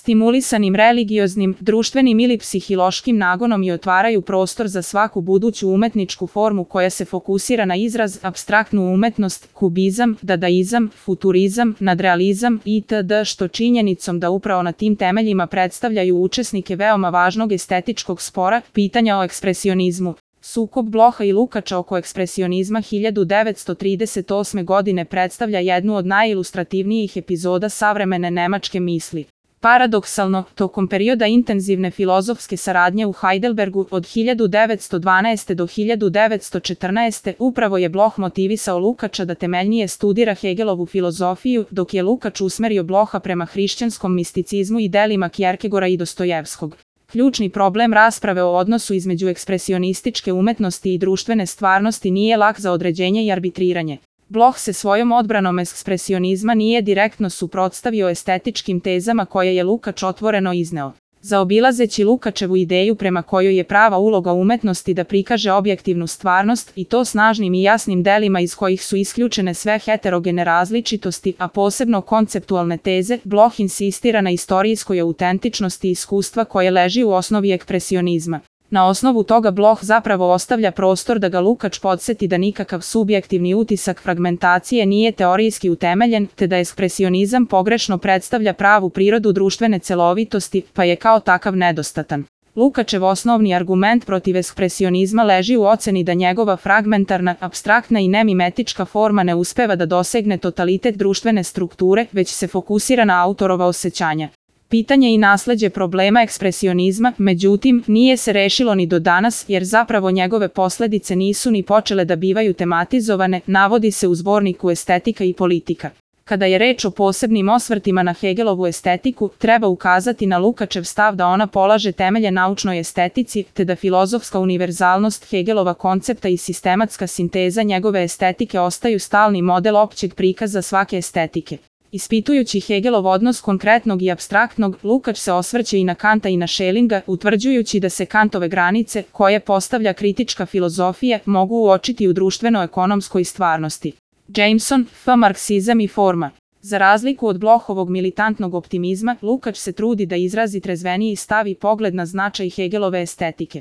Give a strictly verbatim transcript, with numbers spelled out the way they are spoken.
stimulisanim religioznim, društvenim ili psihiloškim nagonom i otvaraju prostor za svaku buduću umetničku formu koja se fokusira na izraz, apstraktnu umetnost, kubizam, dadaizam, futurizam, nadrealizam itd., što činjenicom da upravo na tim temeljima predstavljaju učesnike veoma važnog estetičkog spora, pitanja o ekspresionizmu. Sukob Bloha i Lukača oko ekspresionizma hiljadu devetsto trideset osme. godine predstavlja jednu od najilustrativnijih epizoda savremene nemačke misli. Paradoksalno, tokom perioda intenzivne filozofske saradnje u Heidelbergu od hiljadu devetsto dvanaeste. do hiljadu devetsto četrnaeste. upravo je Bloch motivisao Lukača da temeljnije studira Hegelovu filozofiju, dok je Lukač usmerio Bloha prema hrišćanskom misticizmu i delima Kjerkegora i Dostojevskog. Ključni problem rasprave o odnosu između ekspresionističke umetnosti i društvene stvarnosti nije lak za određenje i arbitriranje. Bloch se svojom odbranom ekspresionizma nije direktno suprotstavio estetičkim tezama koje je Lukač otvoreno izneo. Zaobilazeći Lukačevu ideju prema kojoj je prava uloga umetnosti da prikaže objektivnu stvarnost i to snažnim i jasnim delima iz kojih su isključene sve heterogene različitosti, a posebno konceptualne teze, Bloch insistira na istorijskoj autentičnosti iskustva koje leži u osnovi ekspresionizma. Na osnovu toga Bloch zapravo ostavlja prostor da ga Lukač podsjeti da nikakav subjektivni utisak fragmentacije nije teorijski utemeljen, te da ekspresionizam pogrešno predstavlja pravu prirodu društvene celovitosti, pa je kao takav nedostatan. Lukačev osnovni argument protiv ekspresionizma leži u oceni da njegova fragmentarna, apstraktna i nemimetička forma ne uspeva da dosegne totalitet društvene strukture, već se fokusira na autorova osjećanja. Pitanje i nasleđe problema ekspresionizma, međutim, nije se rešilo ni do danas, jer zapravo njegove posledice nisu ni počele da bivaju tematizovane, navodi se u zborniku Estetika i politika. Kada je reč o posebnim osvrtima na Hegelovu estetiku, treba ukazati na Lukačev stav da ona polaže temelje naučnoj estetici, te da filozofska univerzalnost Hegelova koncepta i sistematska sinteza njegove estetike ostaju stalni model općeg prikaza svake estetike. Ispitujući Hegelov odnos konkretnog i apstraktnog, Lukač se osvrće i na Kanta i na Schellinga, utvrđujući da se Kantove granice, koje postavlja kritička filozofija, mogu uočiti u društveno-ekonomskoj stvarnosti. Jameson, F. Marksizam i forma. Za razliku od Blochovog militantnog optimizma, Lukač se trudi da izrazi trezveniji stav i pogled na značaj Hegelove estetike.